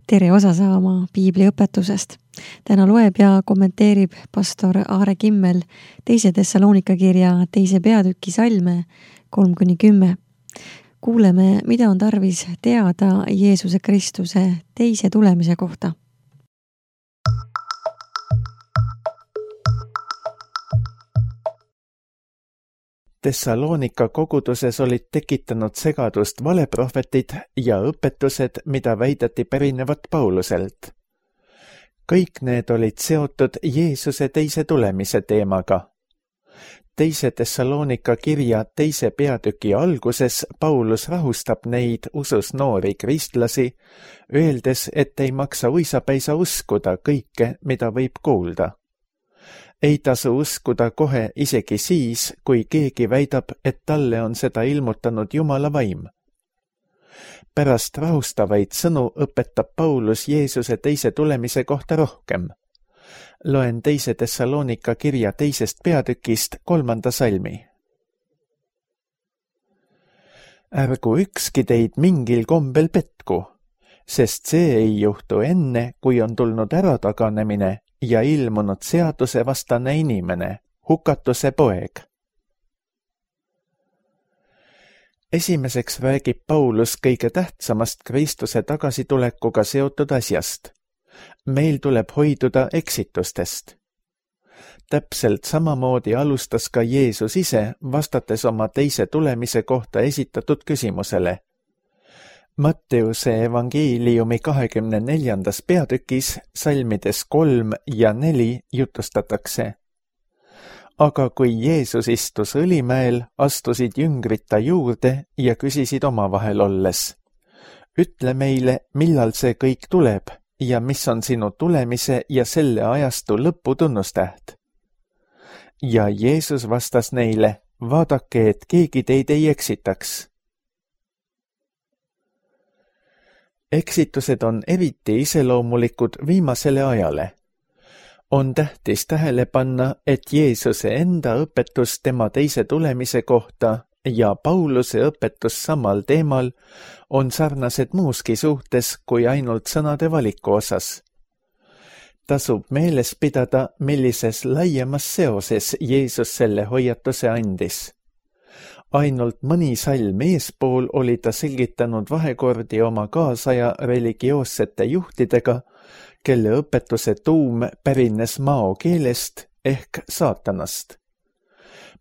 tere osa saama piibliõpetusest. Täna loeb ja kommenteerib pastor Aare Kimmel 2. Thessalonika kirja 2. peatüki salme 3-10. Kuuleme, mida on tarvis teada Jeesuse Kristuse teise tulemise kohta. Thessalonika koguduses olid tekitanud segadust valeprohvetid ja õpetused, mida väideti pärinevat Pauluselt. Kõik need olid seotud Jeesuse teise tulemise teemaga. 2. Thessalonika kirja 2. peatüki alguses Paulus rahustab neid usus noori kristlasi, öeldes, et ei maksa uisapäisa uskuda kõike, mida võib kuulda. Ei tasu uskuda kohe isegi siis, kui keegi väidab, et talle on seda ilmutanud Jumala vaim. Pärast rahustavaid sõnu õpetab Paulus Jeesuse teise tulemise kohta rohkem. Loen 2. Thessalonika kirja 2. peatükist 3. salmi. Ärgu ükski teid mingil kombel petku, sest see ei juhtu enne, kui on tulnud ärataganemine ja ilmunud seadusevastane inimene, hukatuse poeg. Esimeseks räägib Paulus kõige tähtsamast Kristuse tagasitulekuga seotud asjast. Meil tuleb hoiduda eksitustest. Täpselt samamoodi alustas ka Jeesus ise, vastates oma teise tulemise kohta esitatud küsimusele. Matteuse evangeeliumi 24. peatükis salmides 3 ja 4 jutustatakse. Aga kui Jeesus istus Õlimäel, astusid jüngrid ta juurde ja küsisid omavahel olles. Ütle meile, millal see kõik tuleb ja mis on sinu tulemise ja selle ajastu lõpu tunnustäht. Ja Jeesus vastas neile, vaadake, et keegi teid ei eksitaks. Eksitused on eriti iseloomulikud viimasele ajale. On tähtis tähele panna, et Jeesuse enda õpetus tema teise tulemise kohta ja Pauluse õpetus samal teemal on sarnased muuski suhtes kui ainult sõnade valiku osas. Tasub meeles pidada, millises laiemas seoses Jeesus selle hoiatuse andis. Ainult mõni salm eespool oli ta selgitanud vahekordi oma kaasaja religioossete juhtidega, kelle õpetuse tuum pärines mao keelest ehk saatanast.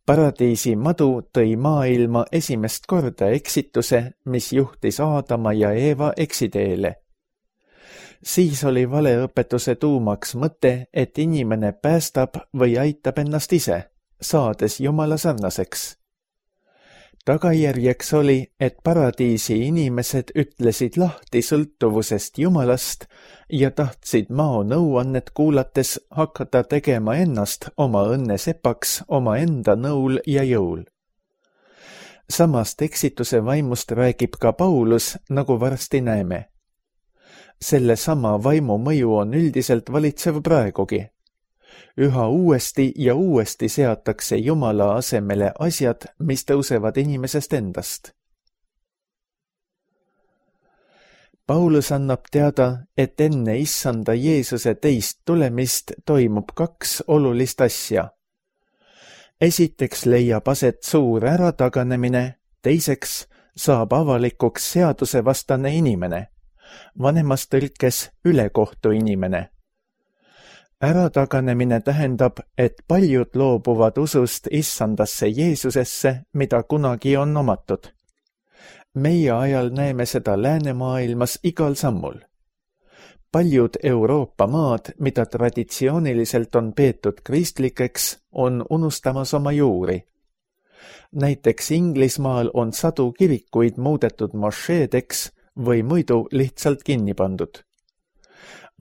Paradiisi madu tõi maailma esimest korda eksituse, mis juhtis Aadama ja Eeva eksiteele. Siis oli valeõpetuse tuumaks mõte, et inimene päästab või aitab ennast ise, saades Jumala sarnaseks. Tagajärjeks oli, et paradiisi inimesed ütlesid lahti sõltuvusest Jumalast ja tahtsid mao nõuannet kuulates hakata tegema ennast oma õnnesepaks oma enda nõul ja jõul. Samast eksituse vaimust räägib ka Paulus, nagu varsti näeme. Selle sama vaimu mõju on üldiselt valitsev praegugi. Üha uuesti ja uuesti seatakse Jumala asemele asjad, mis tõusevad inimesest endast. Paulus annab teada, et enne issanda Jeesuse teist tulemist toimub 2 olulist asja. Esiteks leiab aset suur ärataganemine, teiseks saab avalikuks seadusevastane inimene, vanemas tõlkes ülekohtu inimene. Ärataganemine tähendab, et paljud loobuvad usust issandasse Jeesusesse, mida kunagi on omatud. Meie ajal näeme seda läänemaailmas igal sammul. Paljud Euroopa maad, mida traditsiooniliselt on peetud kristlikeks, on unustamas oma juuri. Näiteks Inglismaal on sadu kirikuid muudetud mošeedeks või muidu lihtsalt kinni pandud.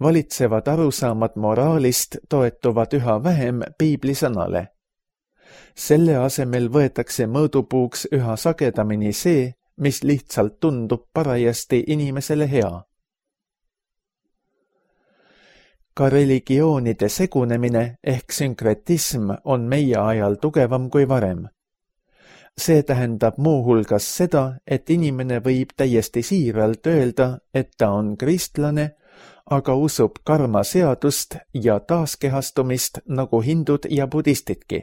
Valitsevad arusaamad moraalist toetuvad üha vähem piiblisõnale. Selle asemel võetakse mõõdupuuks üha sagedamini see, mis lihtsalt tundub parajasti inimesele hea. Ka religioonide segunemine ehk sünkretism on meie ajal tugevam kui varem. See tähendab muuhulgas seda, et inimene võib täiesti siiralt öelda, et ta on kristlane, aga usub karma seadust ja taaskehastumist nagu hindud ja budistidki.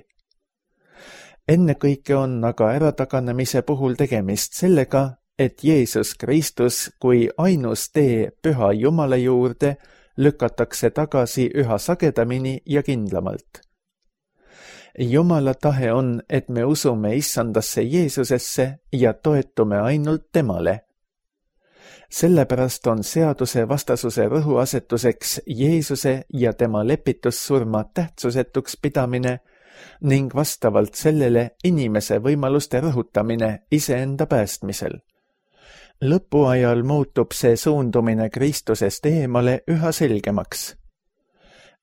Ennekõike on aga ärataganemise puhul tegemist sellega, et Jeesus Kristus kui ainus tee püha Jumala juurde lükatakse tagasi üha sagedamini ja kindlamalt. Jumala tahe on, et me usume Issandasse Jeesusesse ja toetume ainult temale. Sellepärast on seaduse vastasuse rõhuasetuseks Jeesuse ja tema lepitussurma tähtsusetuks pidamine ning vastavalt sellele inimese võimaluste rõhutamine iseenda päästmisel. Lõpuajal muutub see suundumine Kristusest eemale üha selgemaks.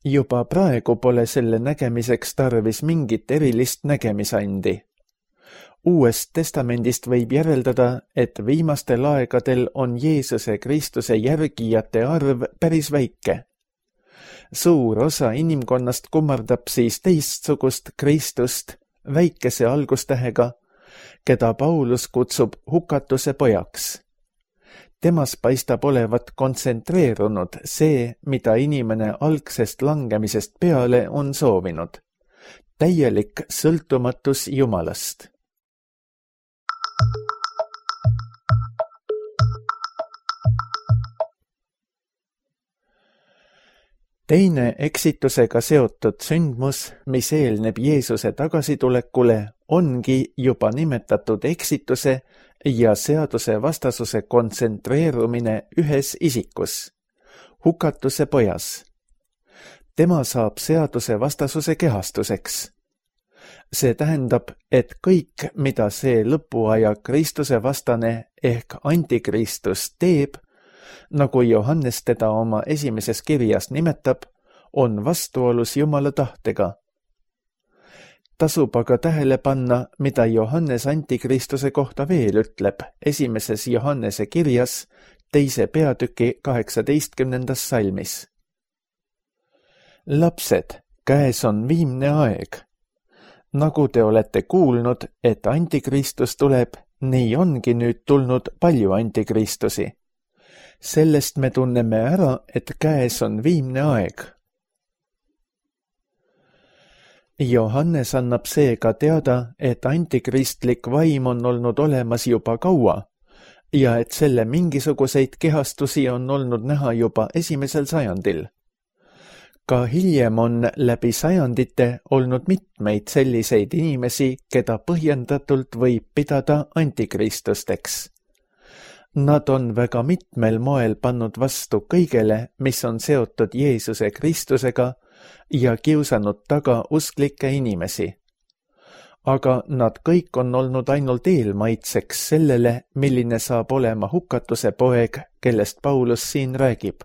Juba praegu pole selle nägemiseks tarvis mingit erilist nägemisandi. Uuest testamendist võib järeldada, et viimastel aegadel on Jeesuse Kristuse järgijate arv päris väike. Suur osa inimkonnast kummardab siis teistsugust Kristust väikese algustähega, keda Paulus kutsub hukatuse pojaks. Temas paistab olevat kontsentreerunud see, mida inimene algsest langemisest peale on soovinud. Täielik sõltumatus Jumalast. Teine eksitusega seotud sündmus, mis eelneb Jeesuse tagasitulekule, ongi juba nimetatud eksituse ja seaduse vastasuse kontsentreerumine ühes isikus, hukatuse pojas. Tema saab seaduse vastasuse kehastuseks. See tähendab, et kõik, mida see lõpuaja Kristuse vastane ehk antikristus teeb, nagu Johannes teda oma esimeses kirjas nimetab, on vastuolus Jumala tahtega. Tasub aga tähele panna, mida Johannes antikristuse kohta veel ütleb esimeses Johannese kirjas 2. peatüki 18. salmis. Lapsed, käes on viimne aeg. Nagu te olete kuulnud, et antikristus tuleb, nii ongi nüüd tulnud palju antikristusi. Sellest me tunneme ära, et käes on viimne aeg. Johannes annab seega teada, et antikristlik vaim on olnud olemas juba kaua ja et selle mingisuguseid kehastusi on olnud näha juba 1. sajandil. Ka hiljem on läbi sajandite olnud mitmeid selliseid inimesi, keda põhjendatult võib pidada antikristusteks. Nad on väga mitmel moel pannud vastu kõigele, mis on seotud Jeesuse Kristusega ja kiusanud taga usklikke inimesi. Aga nad kõik on olnud ainult eelmaitseks sellele, milline saab olema hukatuse poeg, kellest Paulus siin räägib.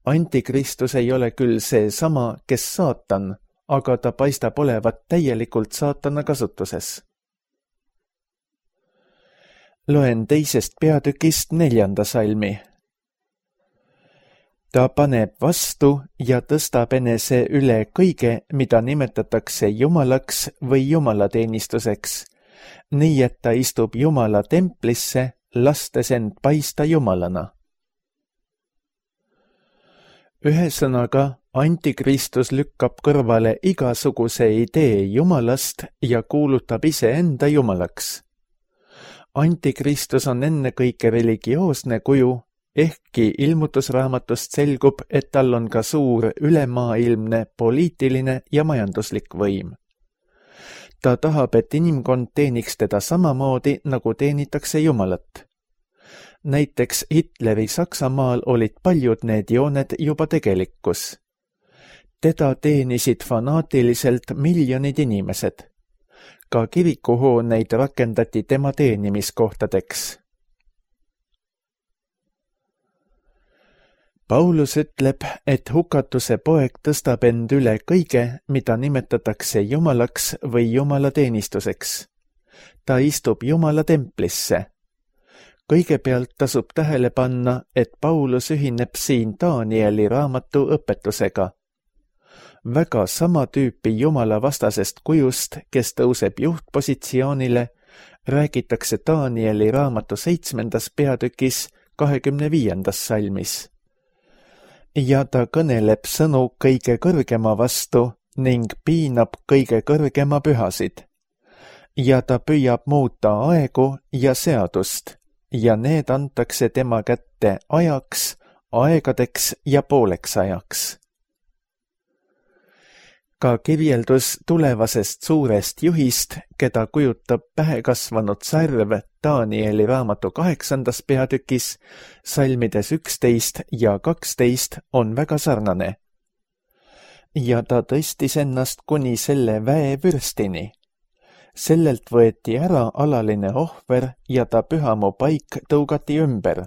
Antikristus ei ole küll see sama, kes saatan, aga ta paistab olevat täielikult saatana kasutuses. Loen 2. peatükist 4. salmi. Ta paneb vastu ja tõstab enese üle kõige, mida nimetatakse Jumalaks või jumalateenistuseks, nii et ta istub Jumala templisse, lastes end paista Jumalana. Ühesõnaga, antikristus lükkab kõrvale igasuguse idee Jumalast ja kuulutab iseenda Jumalaks. Antikristus on ennekõike religioosne kuju, ehkki ilmutusraamatust selgub, et tal on ka suur ülemaailmne poliitiline ja majanduslik võim. Ta tahab, et inimkond teeniks teda samamoodi, nagu teenitakse Jumalat. Näiteks Hitleri Saksamaal olid paljud need jooned juba tegelikkus. Teda teenisid fanaatiliselt miljonid inimesed. Ka kirikuhooneid rakendati tema teenimiskohtadeks. Paulus ütleb, et hukatuse poeg tõstab end üle kõige, mida nimetatakse Jumalaks või jumalateenistuseks. Ta istub Jumala templisse. Kõigepealt tasub tähele panna, et Paulus ühineb siin Danieli raamatu õpetusega. Väga sama tüüpi Jumala vastasest kujust, kes tõuseb juhtpositsioonile, räägitakse Danieli raamatu 7. peatükis 25. salmis. ja ta kõneleb sõnu kõige kõrgema vastu ning piinab kõige kõrgema pühasid. Ja ta püüab muuta aegu ja seadust ja need antakse tema kätte ajaks, aegadeks ja pooleks ajaks. Ka kirjeldus tulevasest suurest juhist, keda kujutab pähekasvanud sarv Danieli raamatu 8. peatükis, salmides 11 ja 12 on väga sarnane. Ja ta tõstis ennast kuni selle väevürstini. Sellelt võeti ära alaline ohver ja ta pühamu paik tõugati ümber.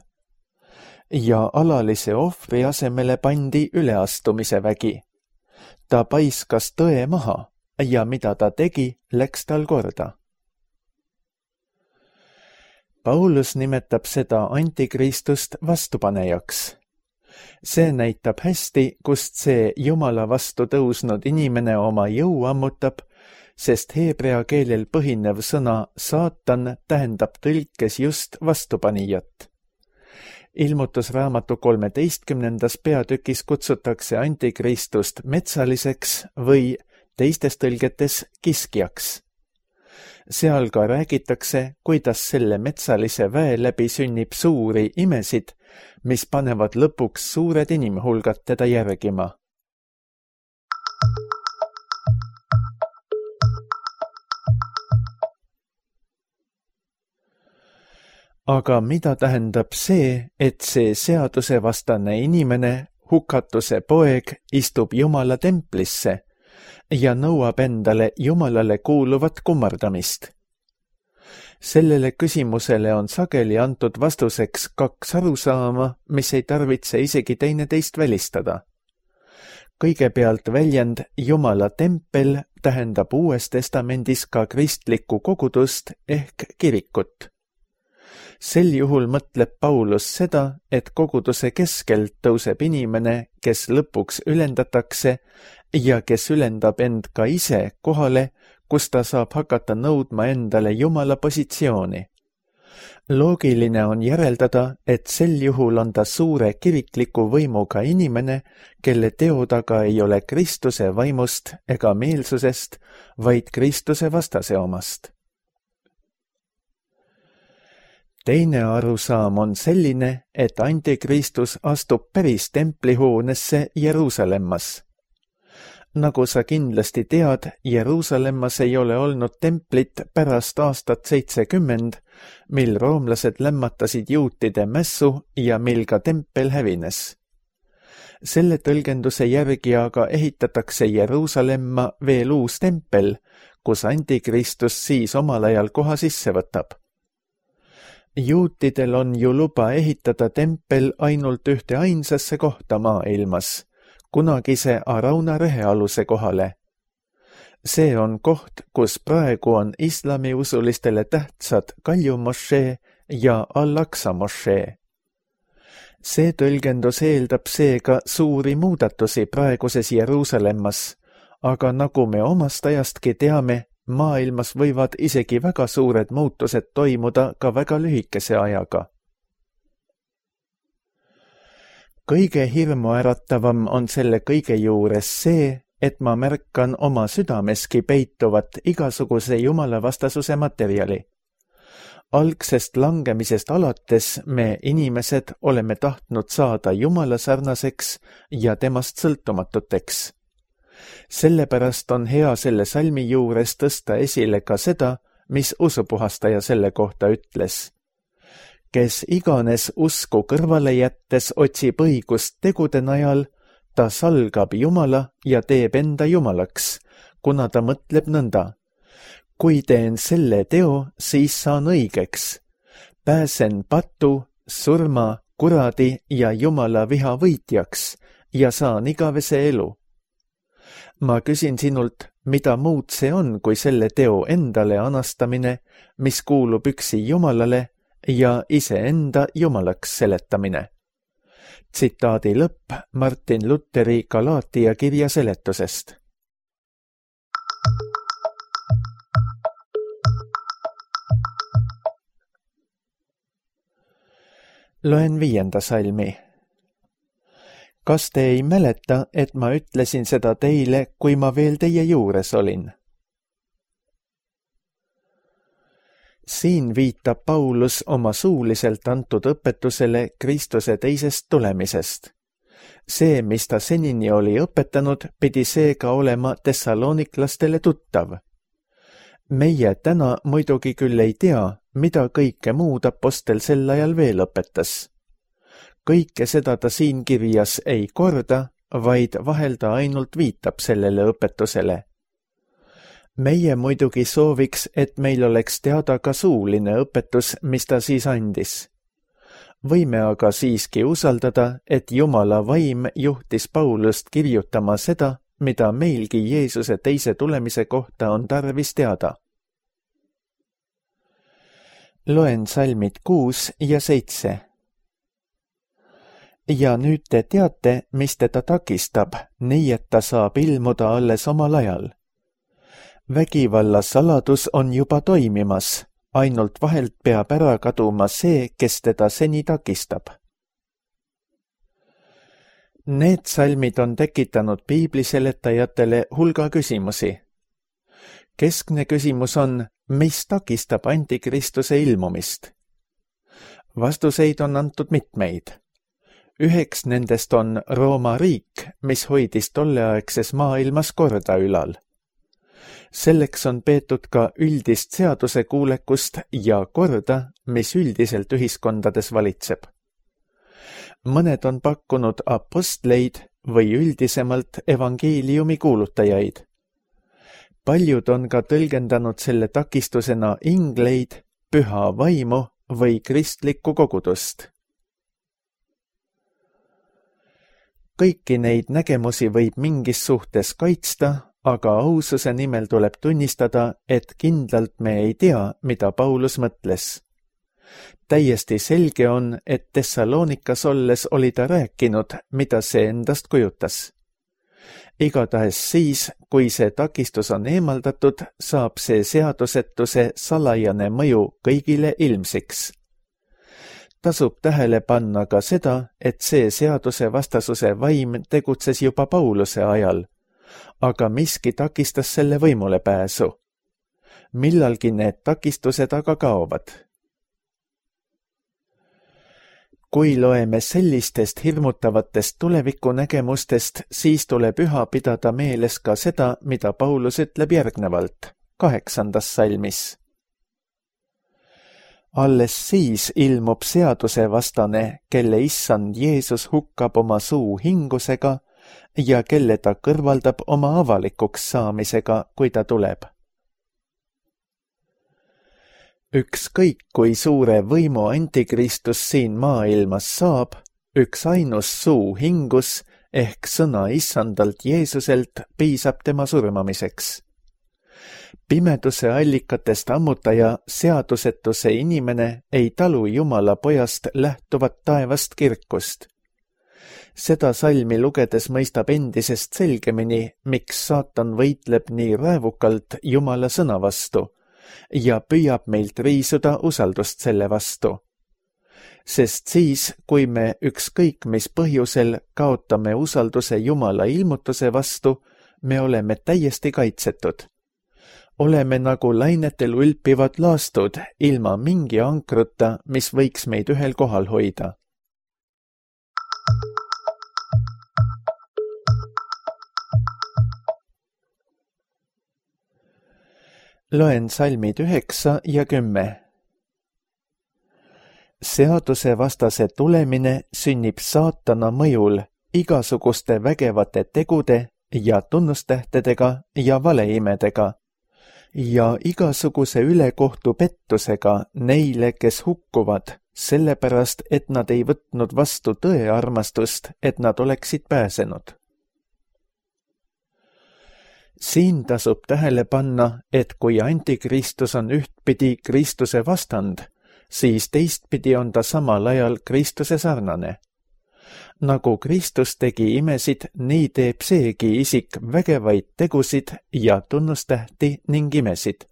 Ja alalise ohvri asemele pandi üleastumise vägi. Ta paiskas tõe maha ja mida ta tegi, läks tal korda. Paulus nimetab seda antikristust vastupanejaks. See näitab hästi, kust see Jumala vastu tõusnud inimene oma jõu ammutab, sest heebrea keelel põhinev sõna saatan tähendab tõlkes just vastupanijat. Ilmutusraamatu 13. peatükis kutsutakse antikristust metsaliseks või teistes tõlgetes kiskjaks. Seal ka räägitakse, kuidas selle metsalise väe läbi sünnib suuri imesid, mis panevad lõpuks suured inimhulgad teda järgima. Aga mida tähendab see, et see seadusevastane inimene, hukatuse poeg, istub Jumala templisse ja nõuab endale Jumalale kuuluvat kummardamist? Sellele küsimusele on sageli antud vastuseks 2 arusaama, mis ei tarvitse isegi teineteist välistada. Kõigepealt väljend Jumala tempel tähendab Uues Testamendis ka kristlikku kogudust ehk kirikut. Sel juhul mõtleb Paulus seda, et koguduse keskelt tõuseb inimene, kes lõpuks ülendatakse ja kes ülendab end ka ise kohale, kus ta saab hakata nõudma endale Jumala positsiooni. Loogiline on järeldada, et sel juhul on ta suure kirikliku võimuga inimene, kelle teod aga ei ole Kristuse vaimust ega meelsusest, vaid Kristuse vastase omast. Teine arusaam on selline, et antikristus astub päris templihoonesse Jeruusalemmas. Nagu sa kindlasti tead, Jeruusalemmas ei ole olnud templit pärast aastat 70, mil roomlased lämmatasid juutide mässu ja mil ka tempel hävines. Selle tõlgenduse järgi aga ehitatakse Jeruusalemma veel uus tempel, kus antikristus siis omal ajal koha sisse võtab. Juutidel on ju luba ehitada tempel ainult ühte ainsasse kohta maailmas, kunagise Arauna rehealuse kohale. See on koht, kus praegu on islamiusulistele tähtsad Kalju mošee ja Al-Aqsa mošee. See tõlgendus eeldab seega suuri muudatusi praeguses Jeruusalemmas, aga nagu me omast ajastki teame, maailmas võivad isegi väga suured muutused toimuda ka väga lühikese ajaga. Kõige hirmuäratavam on selle kõige juures see, et ma märkan oma südameski peituvat igasuguse jumalavastasuse materjali. Algsest langemisest alates me inimesed oleme tahtnud saada Jumala sarnaseks ja temast sõltumatuteks. Sellepärast on hea selle salmi juures tõsta esile ka seda, mis usupuhastaja selle kohta ütles. Kes iganes usku kõrvale jättes otsib õigust tegude najal, ta salgab Jumala ja teeb enda Jumalaks, kuna ta mõtleb nõnda. Kui teen selle teo, siis saan õigeks. Pääsen patu, surma, kuradi ja Jumala viha võitjaks ja saan igavese elu. Ma küsin sinult, mida muud see on, kui selle teo endale anastamine, mis kuulub üksi Jumalale ja iseenda Jumalaks seletamine. Tsitaadi lõpp Martin Lutheri Galaatia kirja seletusest. Loen 5. salmi. Kas te ei mäleta, et ma ütlesin seda teile, kui ma veel teie juures olin? Siin viitab Paulus oma suuliselt antud õpetusele Kristuse teisest tulemisest. See, mis ta senini oli õpetanud, pidi seega olema tessaloniklastele tuttav. Meie täna muidugi küll ei tea, mida kõike muud apostel sel ajal veel õpetas. Kõike seda ta siin kirjas ei korda, vaid vahel ta ainult viitab sellele õpetusele. Meie muidugi sooviks, et meil oleks teada ka suuline õpetus, mis ta siis andis. Võime aga siiski usaldada, et Jumala vaim juhtis Paulust kirjutama seda, mida meilgi Jeesuse teise tulemise kohta on tarvis teada. Loen salmid 6 ja 7. Ja nüüd te teate, mis teda takistab, nii et ta saab ilmuda alles omal ajal. Vägivalla saladus on juba toimimas, ainult vahelt peab ära kaduma see, kes teda seni takistab. Need salmid on tekitanud piibliseletajatele hulga küsimusi. Keskne küsimus on, mis takistab antikristuse ilmumist? Vastuseid on antud mitmeid. Üheks nendest on Rooma riik, mis hoidis tolleaegses maailmas korda ülal. Selleks on peetud ka üldist seadusekuulekust ja korda, mis üldiselt ühiskondades valitseb. Mõned on pakkunud apostleid või üldisemalt evangeeliumi kuulutajaid. Paljud on ka tõlgendanud selle takistusena ingleid, püha vaimu või kristlikku kogudust. Kõiki neid nägemusi võib mingis suhtes kaitsta, aga aususe nimel tuleb tunnistada, et kindlalt me ei tea, mida Paulus mõtles. Täiesti selge on, et Thessalonikas olles oli ta rääkinud, mida see endast kujutas. Igatahes siis, kui see takistus on eemaldatud, saab see seadusetuse salajane mõju kõigile ilmsiks. Tasub tähele panna ka seda, et see seaduse vastasuse vaim tegutses juba Pauluse ajal, aga miski takistas selle võimule pääsu. Millalgi need takistused aga kaovad. Kui loeme sellistest hirmutavatest tulevikunägemustest, siis tuleb üha pidada meeles ka seda, mida Paulus ütleb järgnevalt, 8. salmis. Alles siis ilmub seadusevastane, kelle issand Jeesus hukkab oma suu hingusega ja kelle ta kõrvaldab oma avalikuks saamisega, kui ta tuleb. Ükskõik kui suure võimu antikristus siin maailmas saab, üks ainus suu hingus ehk sõna issandalt Jeesuselt piisab tema surmamiseks. Pimeduse allikatest ammutaja seadusetuse inimene ei talu Jumala pojast lähtuvat taevast kirkust. Seda salmi lugedes mõistab endisest selgemini, miks saatan võitleb nii raevukalt Jumala sõna vastu ja püüab meilt riisuda usaldust selle vastu. Sest siis, kui me ükskõik mis põhjusel kaotame usalduse Jumala ilmutuse vastu, me oleme täiesti kaitsetud. Oleme nagu lainetel ulpivad laastud ilma mingi ankruta, mis võiks meid ühel kohal hoida. Loen salmid 9 ja 10. Seaduse vastase tulemine sünnib saatana mõjul igasuguste vägevate tegude ja tunnustähtedega ja valeimedega ja igasuguse ülekohtu pettusega neile, kes hukkuvad, sellepärast, et nad ei võtnud vastu tõe armastust, et nad oleksid pääsenud. Siin tasub tähele panna, et kui antikristus on ühtpidi Kristuse vastand, siis teistpidi on ta samal ajal Kristuse sarnane. Nagu Kristus tegi imesid, nii teeb seegi isik vägevaid tegusid ja tunnustähti ning imesid.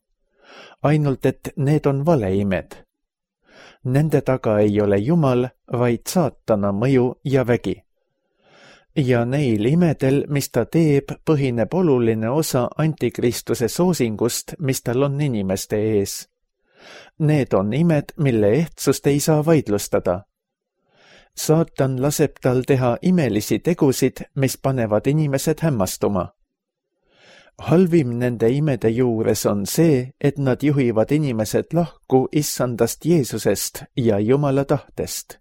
Ainult et need on valeimed. Nende taga ei ole Jumal, vaid saatana mõju ja vägi. ja neil imedel, mis ta teeb, põhineb oluline osa antikristuse soosingust, mis tal on inimeste ees. Need on imed, mille ehtsust ei saa vaidlustada. Saatan laseb tal teha imelisi tegusid, mis panevad inimesed hämmastuma. Halvim nende imede juures on see, et nad juhivad inimesed lahku issandast Jeesusest ja Jumala tahtest.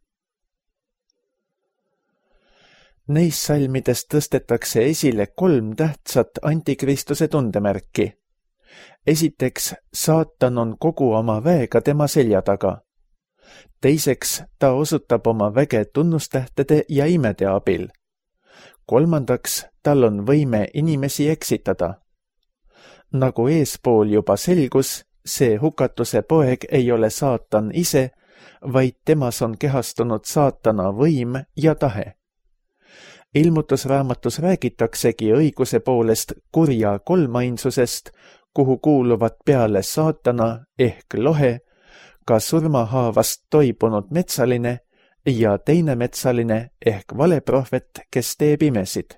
Neis salmidest tõstetakse esile 3 tähtsat antikristuse tundemärki. Esiteks, saatan on kogu oma väega tema selja taga. Teiseks, ta osutab oma väge tunnustähtede ja imede abil. Kolmandaks, tal on võime inimesi eksitada. Nagu eespool juba selgus, see hukatuse poeg ei ole saatan ise, vaid temas on kehastunud saatana võim ja tahe. Ilmutusraamatus räägitaksegi õiguse poolest kurja kolmainsusest, kuhu kuuluvad peale saatana ehk lohe, ka surmahaavast toibunud metsaline ja teine metsaline ehk valeprohvet, kes teeb imesid.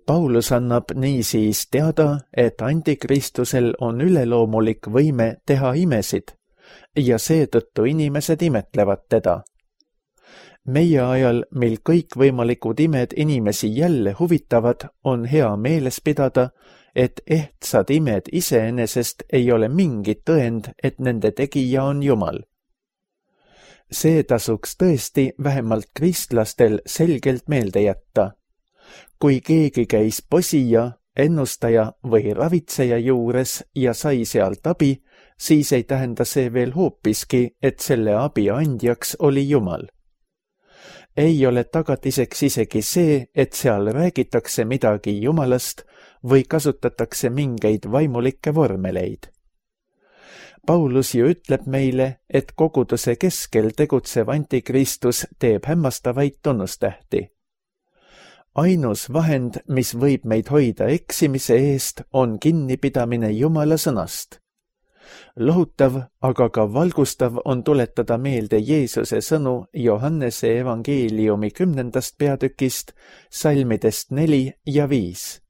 Paulus annab niisiis teada, et antikristusel on üleloomulik võime teha imesid ja seetõttu inimesed imetlevad teda. Meie ajal, mil kõikvõimalikud imed inimesi jälle huvitavad, on hea meeles pidada, et ehtsad imed iseenesest ei ole mingit tõend, et nende tegija on Jumal. See tasuks tõesti vähemalt kristlastel selgelt meelde jätta. Kui keegi käis posija, ennustaja või ravitseja juures ja sai sealt abi, siis ei tähenda see veel hoopiski, et selle abi andjaks oli Jumal. Ei ole tagatiseks isegi see, et seal räägitakse midagi Jumalast või kasutatakse mingeid vaimulikke vormeleid. Paulus ju ütleb meile, et koguduse keskel tegutsev antikristus teeb hämmastavaid tunnustähti. Ainus vahend, mis võib meid hoida eksimise eest, on kinnipidamine Jumala sõnast. Lohutav, aga ka valgustav on tuletada meelde Jeesuse sõnu Johannese evangeeliumi 10. peatükist, salmidest 4 ja 5.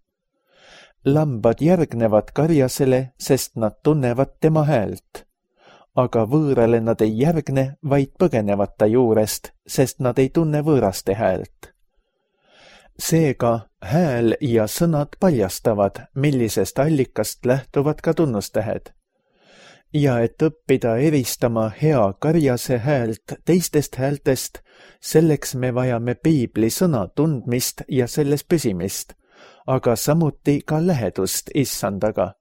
Lambad järgnevad karjasele, sest nad tunnevad tema häält. Aga võõrale nad ei järgne, vaid põgenevad ta juurest, sest nad ei tunne võõraste häält. Seega hääl ja sõnad paljastavad, millisest allikast lähtuvad ka tunnustähed. Ja et õppida eristama hea karjase häält teistest häältest, selleks me vajame piibli sõna tundmist ja selles püsimist, aga samuti ka lähedust issandaga.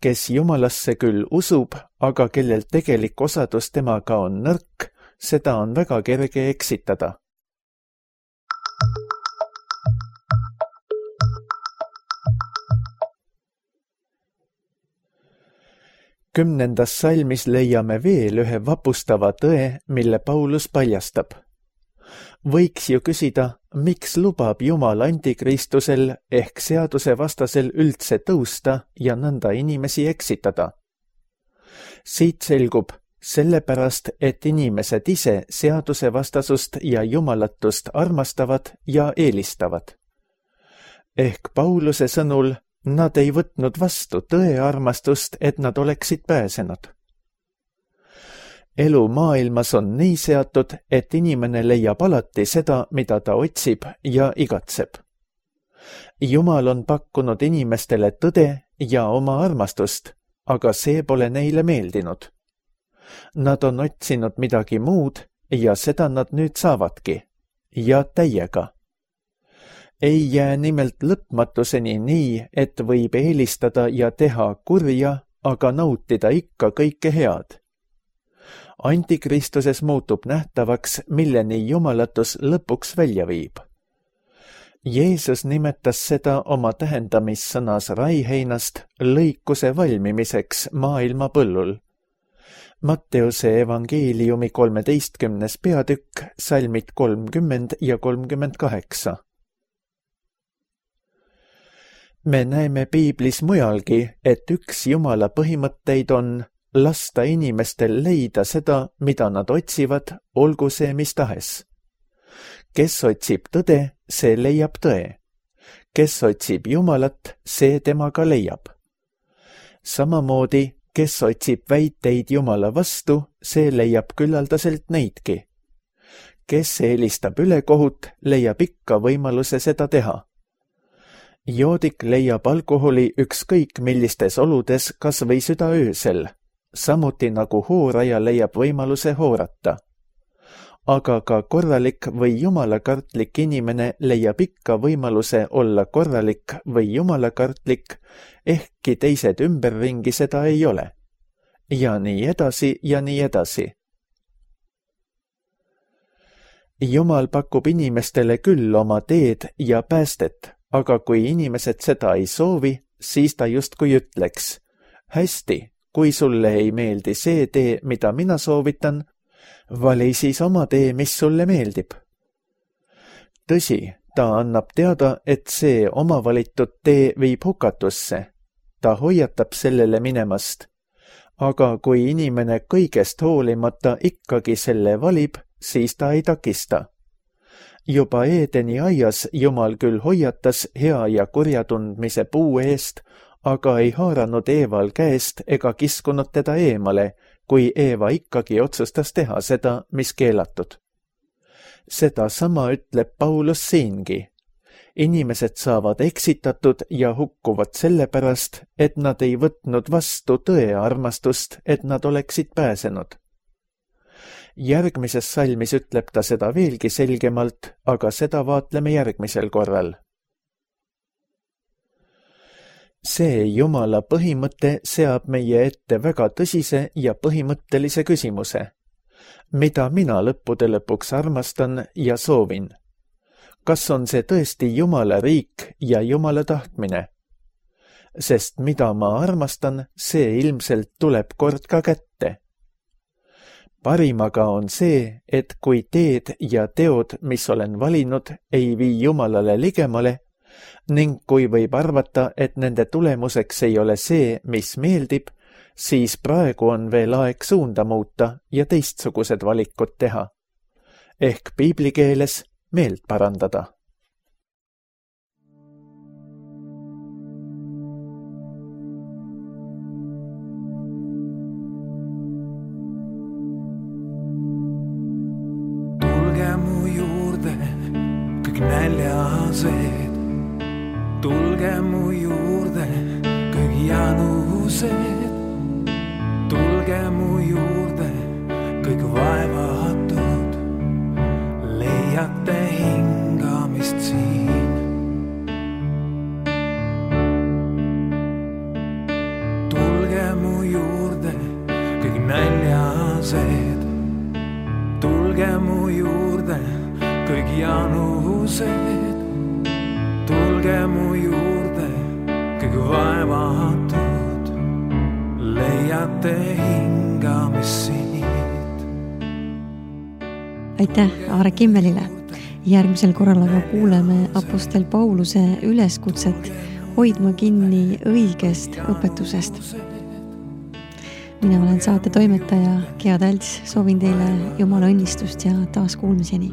Kes Jumalasse küll usub, aga kellel tegelik osadus temaga on nõrk, seda on väga kerge eksitada. Kümnendas salmis leiame veel ühe vapustava tõe, mille Paulus paljastab. Võiks ju küsida, miks lubab Jumal antikristusel ehk seadusevastasel üldse tõusta ja nõnda inimesi eksitada. Siit selgub, sellepärast, et inimesed ise seadusevastasust ja jumalatust armastavad ja eelistavad. Ehk Pauluse sõnul nad ei võtnud vastu tõe armastust, et nad oleksid pääsenud. Elu maailmas on nii seatud, et inimene leiab alati seda, mida ta otsib ja igatseb. Jumal on pakkunud inimestele tõde ja oma armastust, aga see pole neile meeldinud. Nad on otsinud midagi muud ja seda nad nüüd saavadki. Ja täiega. Ei jää nimelt lõpmatuseni nii, et võib eelistada ja teha kurja, aga nautida ikka kõike head. Antikristuses muutub nähtavaks, milleni jumalatus lõpuks välja viib. Jeesus nimetas seda oma tähendamissõnas raiheinast lõikuse valmimiseks maailma põllul. Matteuse evangeeliumi 13. peatükk, salmid 30 ja 38. Me näeme piiblis mujalgi, et üks Jumala põhimõtteid on lasta inimestel leida seda, mida nad otsivad, olgu see mis tahes. Kes otsib tõde, see leiab tõe. Kes otsib Jumalat, see temaga leiab. Samamoodi, kes otsib väiteid Jumala vastu, see leiab küllaldaselt neidki. Kes eelistab ülekohut, leiab ikka võimaluse seda teha. Joodik leiab alkoholi ükskõik millistes oludes kas või südaöösel, samuti nagu hooraja leiab võimaluse hoorata. Aga ka korralik või jumalakartlik inimene leiab ikka võimaluse olla korralik või jumalakartlik, ehkki teised ümberringi seda ei ole. Ja nii edasi ja nii edasi. Jumal pakub inimestele küll oma teed ja päästet, aga kui inimesed seda ei soovi, siis ta justkui ütleks, hästi, kui sulle ei meeldi see tee, mida mina soovitan, vali siis oma tee, mis sulle meeldib. Tõsi, ta annab teada, et see oma valitud tee viib hukatusse. Ta hoiatab sellele minemast. Aga kui inimene kõigest hoolimata ikkagi selle valib, siis ta ei takista. Juba Eedeni aias Jumal küll hoiatas hea ja kurja tundmise puu eest, aga ei haaranud Eeval käest ega kiskunud teda eemale, kui Eeva ikkagi otsustas teha seda, mis keelatud. Seda sama ütleb Paulus siingi. Inimesed saavad eksitatud ja hukkuvad sellepärast, et nad ei võtnud vastu tõe armastust, et nad oleksid pääsenud. Järgmises salmis ütleb ta seda veelgi selgemalt, aga seda vaatleme järgmisel korral. See Jumala põhimõte seab meie ette väga tõsise ja põhimõttelise küsimuse. Mida mina lõppude lõpuks armastan ja soovin? Kas on see tõesti Jumala riik ja Jumala tahtmine? Sest mida ma armastan, see ilmselt tuleb kord ka kätte. Parimaga on see, et kui teed ja teod, mis olen valinud, ei vii Jumalale ligemale, ning kui võib arvata, et nende tulemuseks ei ole see, mis meeldib, siis praegu on veel aeg suunda muuta ja teistsugused valikud teha. Ehk piibli keeles meelt parandada. Tulge mu juurde, kõik näljased. Tulge mu juurde, kõik janused. Tulge mu juurde, kõik vaevatud. Leiate hingamist siin. Tulge mu juurde, kõik näljased. Tulge mu juurde, kõik janused. Tulge mu juurde, kõik vaevatud, leiate hingamist siit. Aitäh Aare Kimmelile. Järgmisel korral aga kuuleme apostel Pauluse üleskutset hoidma kinni õigest õpetusest. Mina olen saate toimetaja Gea Tälts, soovin teile Jumala õnnistust ja taas kuulmiseni.